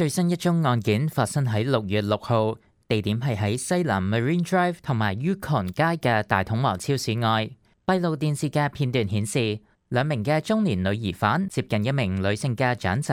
最新一宗案件發生喺6月6號，地點係喺西南 Marine Drive 同埋 Yukon 街嘅大統華超市外。閉路電視嘅片段顯示，兩名嘅中年女疑犯接近一名女性嘅長者，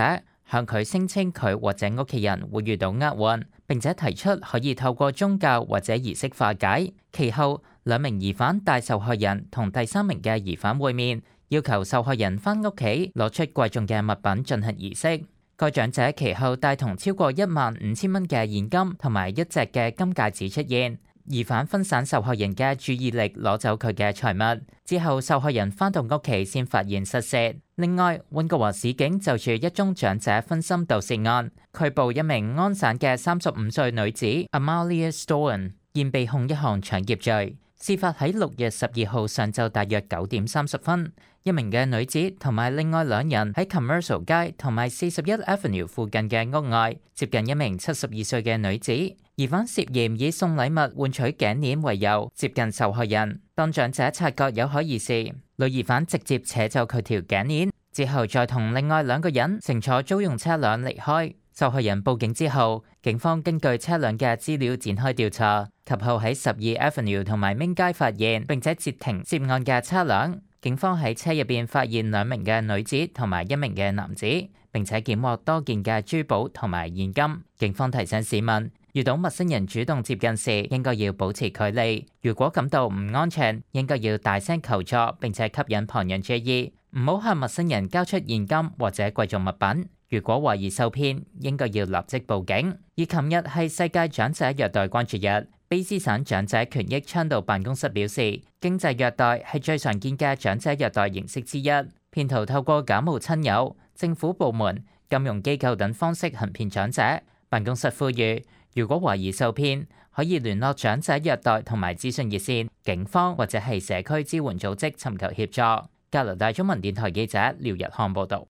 向佢聲稱佢或者屋企人會遇到厄運，並且提出可以透過宗教或者儀式化解。其後，兩名疑犯帶受害人同第三名嘅疑犯會面，要求受害人返屋企攞出貴重嘅物品進行儀式。該長者其後帶同超過15000蚊嘅現金同埋一隻嘅金戒指出現，疑犯分散受害人嘅注意力，攞走佢嘅財物。之後，受害人返到屋企先發現失竊。另外，溫哥華市警就住一宗長者分心盜竊案，拘捕一名安省嘅35歲女子 Amalia Stone， 現被控一項搶劫罪。事發喺6月12號上晝大約9點30分，一名嘅女子同埋另外兩人喺 Commercial 街同埋41 Avenue 附近嘅屋外接近一名72歲嘅女子，疑犯涉嫌以送禮物換取頸鏈為由接近受害人。當長者察覺有可疑時，女疑犯直接扯走佢條頸鏈，之後再同另外兩個人乘坐租用車輛離開。受害人報警之後，警方根據車輛嘅資料展開調查，及後喺12 Avenue 同埋明街發現並且截停涉案嘅車輛。警方喺車入邊發現兩名嘅女子同埋一名嘅男子，並且檢獲多件嘅珠寶同埋現金。警方提醒市民，遇到陌生人主動接近時，應該要保持距離。如果感到唔安全，應該要大聲求助，並且吸引旁人注意，唔好向陌生人交出現金或者貴重物品。如果懷疑受騙，應該要立即報警。而琴日係世界長者虐待關注日，卑詩省長者權益倡導辦公室表示，經濟虐待係最常見嘅長者虐待形式之一。騙徒透過假冒親友、政府部門、金融機構等方式行騙長者。辦公室呼籲，如果懷疑受騙，可以聯絡長者虐待同埋資訊熱線、警方或者係社區支援組織尋求協助。加拿大中文電台記者廖日漢報導。